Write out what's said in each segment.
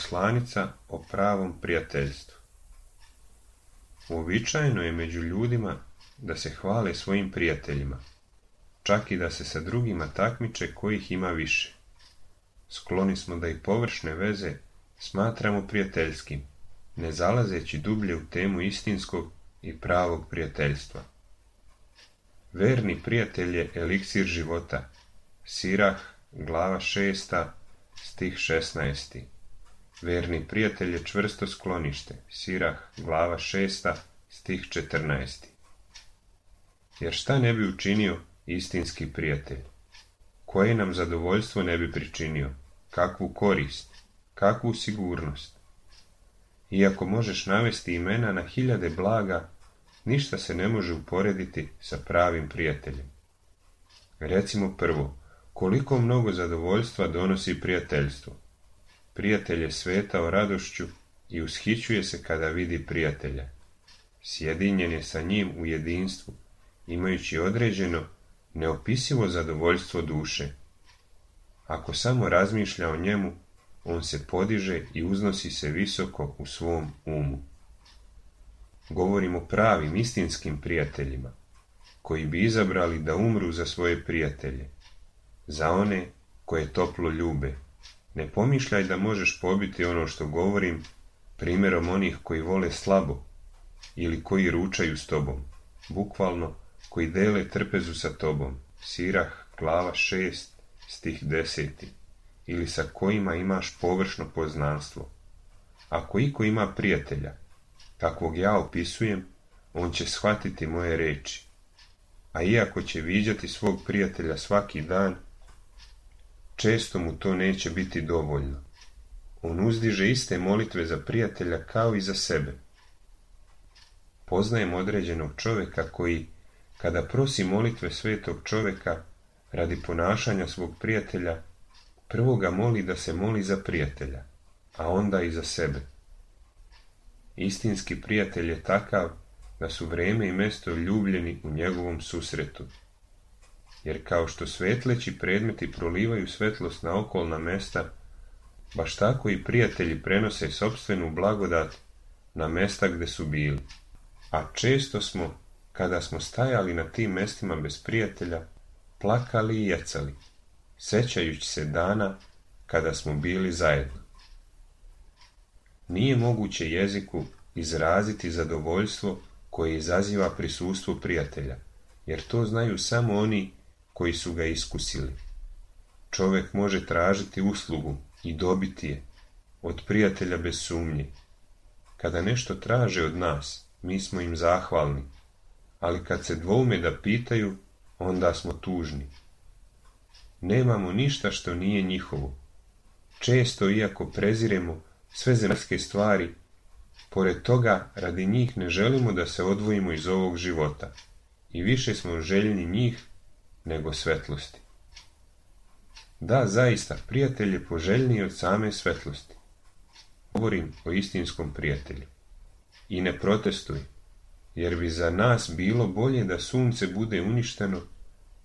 Poslanica o pravom prijateljstvu. Uobičajeno je među ljudima da se hvale svojim prijateljima, čak i da se sa drugima takmiče kojih ima više. Skloni smo da i površne veze smatramo prijateljskim, ne zalazeći dublje u temu istinskog i pravog prijateljstva. Verni prijatelj je eliksir života. Sirah, glava 6, stih 16. Verni prijatelj je čvrsto sklonište. Sirah, glava 6, stih 14. Jer šta ne bi učinio istinski prijatelj? Koje nam zadovoljstvo ne bi pričinio? Kakvu korist? Kakvu sigurnost? Iako možeš navesti imena na hiljade blaga, ništa se ne može uporediti sa pravim prijateljem. Recimo prvo, koliko mnogo zadovoljstva donosi prijateljstvo. Prijatelj je svetao radošću i ushićuje se kada vidi prijatelja. Sjedinjen je sa njim u jedinstvu, imajući određeno, neopisivo zadovoljstvo duše. Ako samo razmišlja o njemu, on se podiže i uznosi se visoko u svom umu. Govorimo o pravim, istinskim prijateljima, koji bi izabrali da umru za svoje prijatelje, za one koje toplo ljube. Ne pomišljaj da možeš pobiti ono što govorim primjerom onih koji vole slabo ili koji ručaju s tobom, bukvalno koji dele trpezu sa tobom. Sirah, glava 6, stih 10. Ili sa kojima imaš površno poznanstvo. Ako iko ima prijatelja, kakvog ja opisujem, on će shvatiti moje reči. A iako će viđati svog prijatelja svaki dan, često mu to neće biti dovoljno. On uzdiže iste molitve za prijatelja kao i za sebe. Poznajem određenog čovjeka koji, kada prosi molitve svetog čovjeka radi ponašanja svog prijatelja, prvo ga moli da se moli za prijatelja, a onda i za sebe. Istinski prijatelj je takav da su vrijeme i mjesto ljubljeni u njegovom susretu. Jer kao što svetleći predmeti prolivaju svetlost na okolna mesta, baš tako i prijatelji prenose sopstvenu blagodat na mesta gdje su bili. A često smo, kada smo stajali na tim mestima bez prijatelja, plakali i jecali, sećajući se dana kada smo bili zajedno. Nije moguće jeziku izraziti zadovoljstvo koje izaziva prisustvo prijatelja, jer to znaju samo oni koji su ga iskusili. Čovjek može tražiti uslugu i dobiti je od prijatelja bez sumnje. Kada nešto traže od nas, mi smo im zahvalni, ali kad se dvoume da pitaju, onda smo tužni. Nemamo ništa što nije njihovo. Često, iako preziremo sve zemaljske stvari, pored toga radi njih ne želimo da se odvojimo iz ovog života i više smo željni njih nego svetlosti. Da, zaista, prijatelj je poželjniji od same svetlosti. Govorim o istinskom prijatelju. I ne protestuj, jer bi za nas bilo bolje da sunce bude uništeno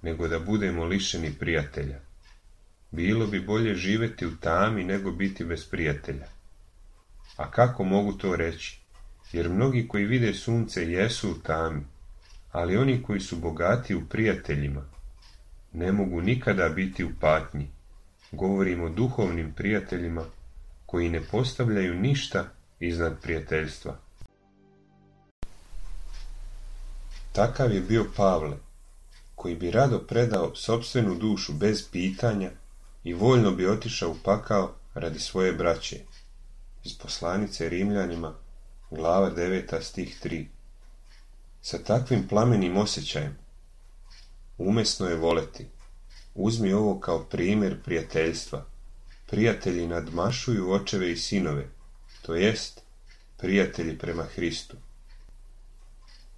nego da budemo lišeni prijatelja. Bilo bi bolje živjeti u tami nego biti bez prijatelja. A kako mogu to reći? Jer mnogi koji vide sunce jesu u tami, ali oni koji su bogati u prijateljima ne mogu nikada biti u patnji. Govorim o duhovnim prijateljima koji ne postavljaju ništa iznad prijateljstva. Takav je bio Pavle, koji bi rado predao sopstvenu dušu bez pitanja i voljno bi otišao u pakao radi svoje braće. Iz poslanice Rimljanima, glava 9, stih 3. Sa takvim plamenim osjećajem umesno je voleti. Uzmi ovo kao primjer prijateljstva. Prijatelji nadmašuju očeve i sinove, to jest prijatelji prema Hristu.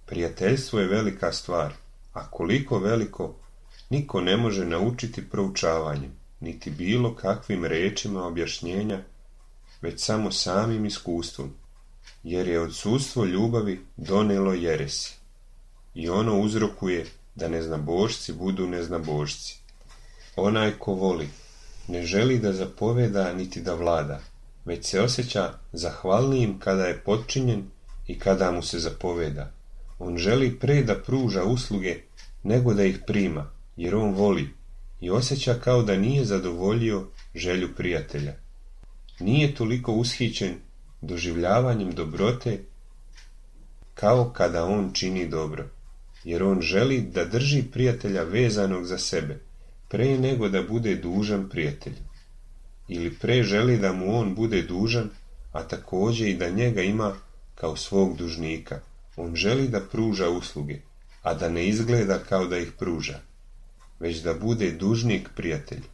Prijateljstvo je velika stvar, a koliko veliko, niko ne može naučiti proučavanjem, niti bilo kakvim rečima objašnjenja, već samo samim iskustvom, jer je odsustvo ljubavi donelo jeresi. I ono uzrokuje da neznabošci budu neznabošci. Onaj ko voli, ne želi da zapoveda niti da vlada, već se osjeća zahvalnijim kada je potčinjen i kada mu se zapoveda. On želi pre da pruža usluge nego da ih prima, jer on voli i osjeća kao da nije zadovoljio želju prijatelja. Nije toliko ushićen doživljavanjem dobrote kao kada on čini dobro, jer on želi da drži prijatelja vezanog za sebe, pre nego da bude dužan prijatelju. Ili pre želi da mu on bude dužan, a također i da njega ima kao svog dužnika. On želi da pruža usluge, a da ne izgleda kao da ih pruža, već da bude dužnik prijatelju.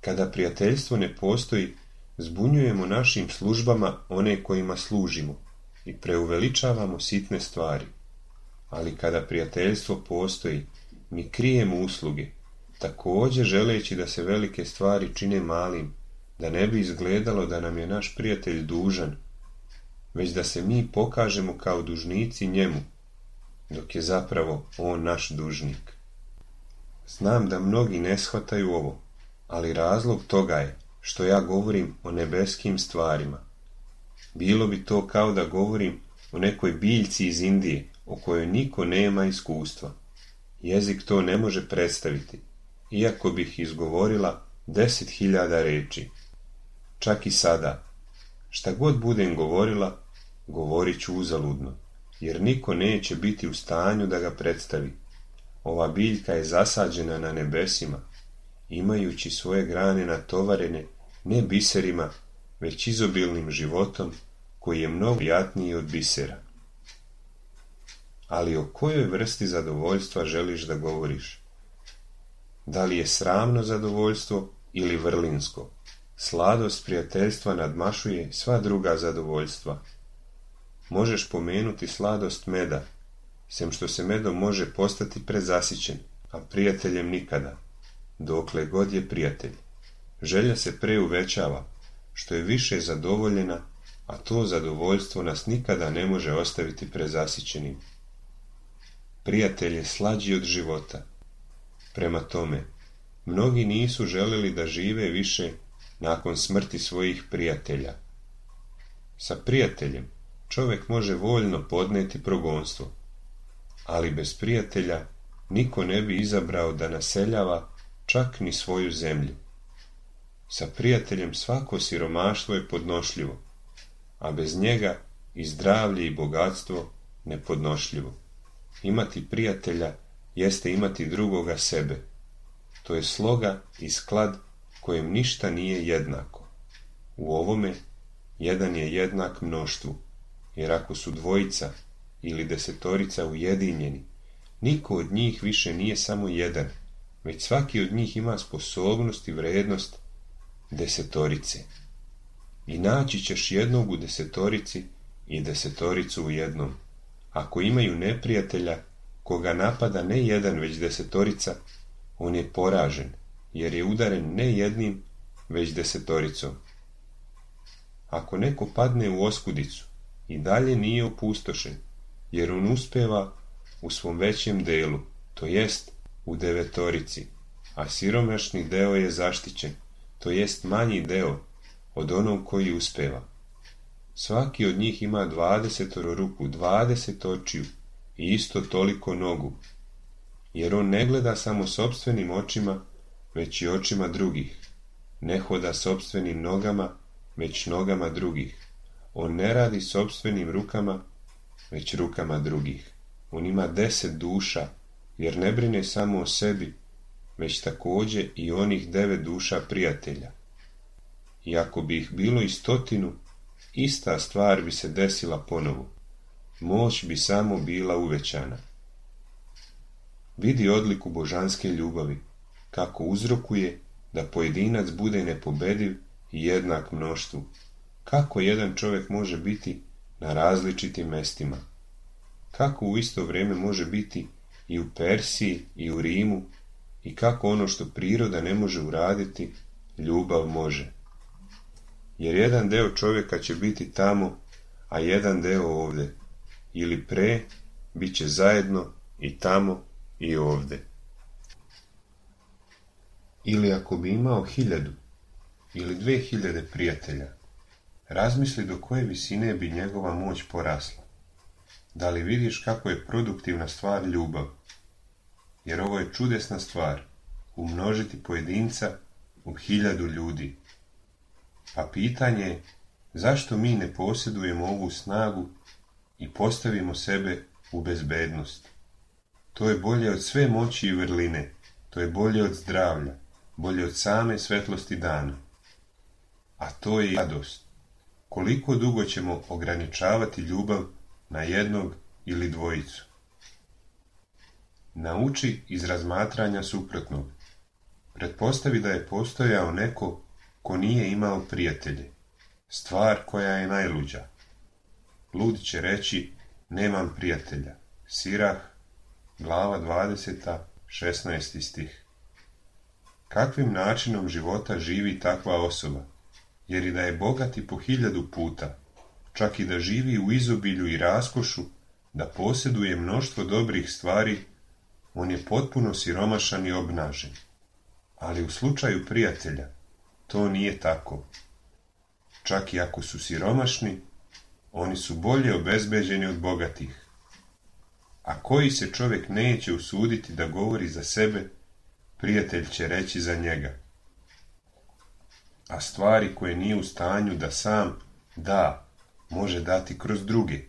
Kada prijateljstvo ne postoji, zbunjujemo našim službama one kojima služimo i preuveličavamo sitne stvari. Ali kada prijateljstvo postoji, mi krijemo usluge, također želeći da se velike stvari čine malim, da ne bi izgledalo da nam je naš prijatelj dužan, već da se mi pokažemo kao dužnici njemu, dok je zapravo on naš dužnik. Znam da mnogi ne shvataju ovo, ali razlog toga je što ja govorim o nebeskim stvarima. Bilo bi to kao da govorim o nekoj biljci iz Indije, o kojoj niko nema iskustva. Jezik to ne može predstaviti, iako bih izgovorila 10.000 reči. Čak i sada, šta god budem govorila, govorit ću uzaludno, jer niko neće biti u stanju da ga predstavi. Ova biljka je zasađena na nebesima, imajući svoje grane natovarene ne biserima, već izobilnim životom koji je mnogo prijatniji od bisera. Ali o kojoj vrsti zadovoljstva želiš da govoriš? Da li je sramno zadovoljstvo ili vrlinsko? Sladost prijateljstva nadmašuje sva druga zadovoljstva. Možeš pomenuti sladost meda, sem što se medom može postati prezasićen, a prijateljem nikada, dokle god je prijatelj. Želja se preuvećava, što je više zadovoljena, a to zadovoljstvo nas nikada ne može ostaviti prezasićenim. Prijatelj je slađi od života. Prema tome, mnogi nisu želeli da žive više nakon smrti svojih prijatelja. Sa prijateljem čovjek može voljno podneti progonstvo, ali bez prijatelja niko ne bi izabrao da naseljava čak ni svoju zemlju. Sa prijateljem svako siromaštvo je podnošljivo, a bez njega i zdravlje i bogatstvo nepodnošljivo. Imati prijatelja jeste imati drugoga sebe. To je sloga i sklad kojem ništa nije jednako. U ovome jedan je jednak mnoštvu, jer ako su dvojica ili desetorica ujedinjeni, niko od njih više nije samo jedan, već svaki od njih ima sposobnost i vrednost desetorice. I naći ćeš jednog u desetorici i desetoricu u jednom. Ako imaju neprijatelja koga napada ne jedan već desetorica, on je poražen, jer je udaren ne jednim već desetoricom. Ako neko padne u oskudicu, i dalje nije opustošen, jer on uspeva u svom većem delu, to jest u devetorici, a siromašni deo je zaštićen, to jest manji deo od onog koji uspeva. Svaki od njih ima 20 ruku, 20 očiju i isto toliko nogu, jer on ne gleda samo sopstvenim očima, već i očima drugih. Ne hoda sopstvenim nogama, već nogama drugih. On ne radi sopstvenim rukama, već rukama drugih. On ima 10 duša, jer ne brine samo o sebi, već također i onih 9 duša prijatelja. I ako bi ih bilo i 100, ista stvar bi se desila ponovo. Moć bi samo bila uvećana. Vidi odliku božanske ljubavi, kako uzrokuje da pojedinac bude nepobediv i jednak mnoštvu. Kako jedan čovjek može biti na različitim mestima? Kako u isto vrijeme može biti i u Persiji i u Rimu? I kako ono što priroda ne može uraditi, ljubav može? Jer jedan deo čovjeka će biti tamo, a jedan deo ovdje. Ili pre, bit će zajedno i tamo i ovdje. Ili ako bi imao 1000, ili 2000 prijatelja, razmisli do koje visine bi njegova moć porasla. Da li vidiš kako je produktivna stvar ljubav? Jer ovo je čudesna stvar, umnožiti pojedinca u 1000 ljudi. Pa pitanje je, zašto mi ne posjedujemo ovu snagu i postavimo sebe u bezbednost? To je bolje od sve moći i vrline, to je bolje od zdravlja, bolje od same svetlosti dana. A to je radost. Koliko dugo ćemo ograničavati ljubav na jednog ili dvojicu? Nauči iz razmatranja suprotnog. Pretpostavi da je postojao neko ko nije imao prijatelje. Stvar koja je najluđa. Lud će reći, nemam prijatelja. Sirah, glava 20, 16. stih. Kakvim načinom života živi takva osoba? Jer i da je bogat i po 1000 puta, čak i da živi u izobilju i raskošu, da posjeduje mnoštvo dobrih stvari, on je potpuno siromašan i obnažen. Ali u slučaju prijatelja to nije tako. Čak i ako su siromašni, oni su bolje obezbeđeni od bogatih. A koji se čovjek neće usuditi da govori za sebe, prijatelj će reći za njega. A stvari koje nije u stanju da sam da, može dati kroz druge.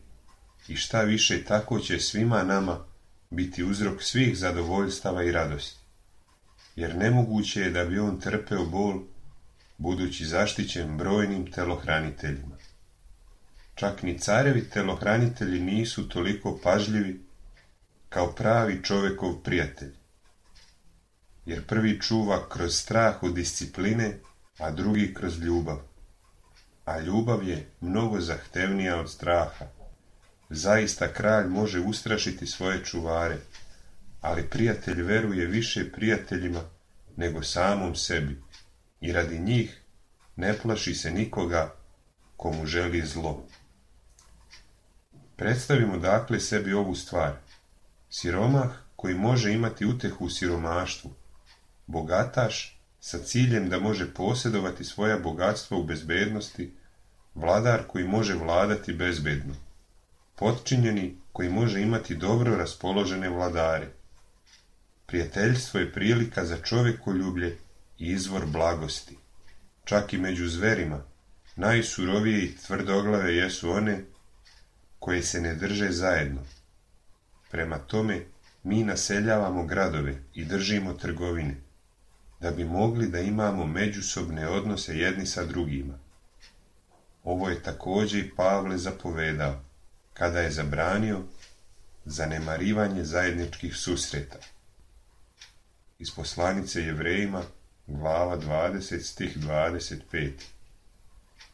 I šta više, tako će svima nama biti uzrok svih zadovoljstava i radosti. Jer nemoguće je da bi on trpeo bol, budući zaštićen brojnim telohraniteljima. Čak ni carevi telohranitelji nisu toliko pažljivi kao pravi čovjekov prijatelj. Jer prvi čuva kroz strah od discipline, a drugi kroz ljubav. A ljubav je mnogo zahtevnija od straha. Zaista kralj može ustrašiti svoje čuvare, ali prijatelj veruje više prijateljima nego samom sebi i radi njih ne plaši se nikoga komu želi zlo. Predstavimo dakle sebi ovu stvar. Siromah koji može imati utehu u siromaštvu, bogataš sa ciljem da može posjedovati svoja bogatstva u bezbednosti, vladar koji može vladati bezbedno, potčinjeni koji može imati dobro raspoložene vladare. Prijateljstvo je prilika za čovjekoljublje i izvor blagosti. Čak i među zverima, najsurovije i tvrdoglave jesu one koje se ne drže zajedno. Prema tome, mi naseljavamo gradove i držimo trgovine, da bi mogli da imamo međusobne odnose jedni sa drugima. Ovo je također i Pavle zapovedao, kada je zabranio zanemarivanje zajedničkih susreta. Iz poslanice Jevrejima, glava 20, stih 25.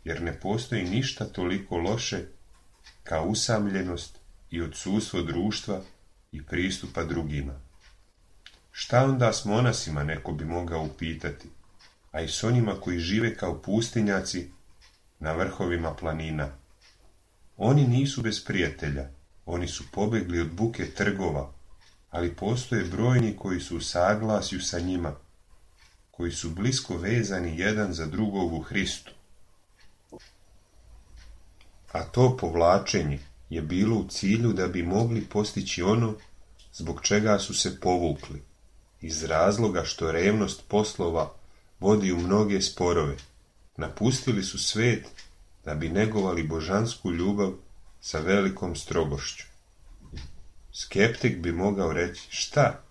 Jer ne postoji ništa toliko loše kao usamljenost i odsustvo društva i pristupa drugima. Šta onda s monasima, neko bi mogao upitati, a i s onima koji žive kao pustinjaci na vrhovima planina? Oni nisu bez prijatelja, oni su pobegli od buke trgova, ali postoje brojni koji su u saglasju sa njima, koji su blisko vezani jedan za drugog u Hristu. A to povlačenje je bilo u cilju da bi mogli postići ono zbog čega su se povukli, iz razloga što revnost poslova vodi u mnoge sporove. Napustili su svet da bi negovali božansku ljubav sa velikom strogošću. Skeptik bi mogao reći, šta,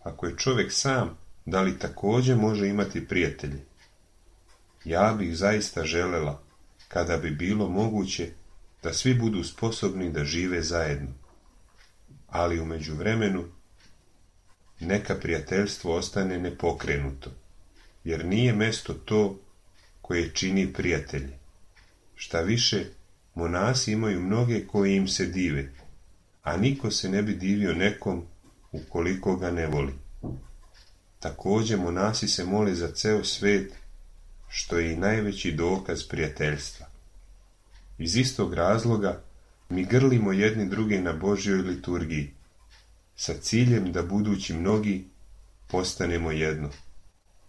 ako je čovjek sam, da li također može imati prijatelje? Ja bih zaista želela, kada bi bilo moguće, da svi budu sposobni da žive zajedno. Ali u međuvremenu neka prijateljstvo ostane nepokrenuto, jer nije mesto to koje čini prijatelje. Šta više, monasi imaju mnoge koji im se dive, a niko se ne bi divio nekom ukoliko ga ne voli. Također monasi se mole za ceo svet, što je i najveći dokaz prijateljstva. Iz istog razloga mi grlimo jedni druge na Božjoj liturgiji, sa ciljem da budući mnogi postanemo jedno,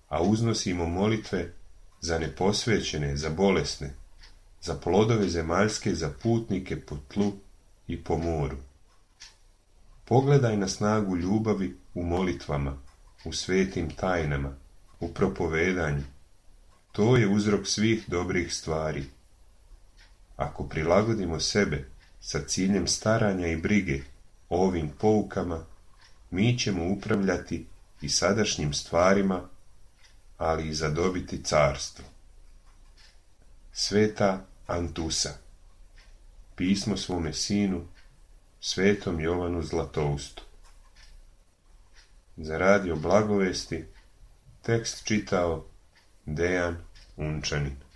a uznosimo molitve za neposvećene, za bolesne, za plodove zemaljske, za putnike po tlu i po moru. Pogledaj na snagu ljubavi u molitvama, u svetim tajnama, u propovedanju. To je uzrok svih dobrih stvari. Ako prilagodimo sebe sa ciljem staranja i brige o ovim poukama, mi ćemo upravljati i sadašnjim stvarima, ali i zadobiti carstvo. Sveta Antusa. Pismo svome sinu, svetom Jovanu Zlatoustu. Za radio Blagovesti tekst čitao Dejan Unčanin.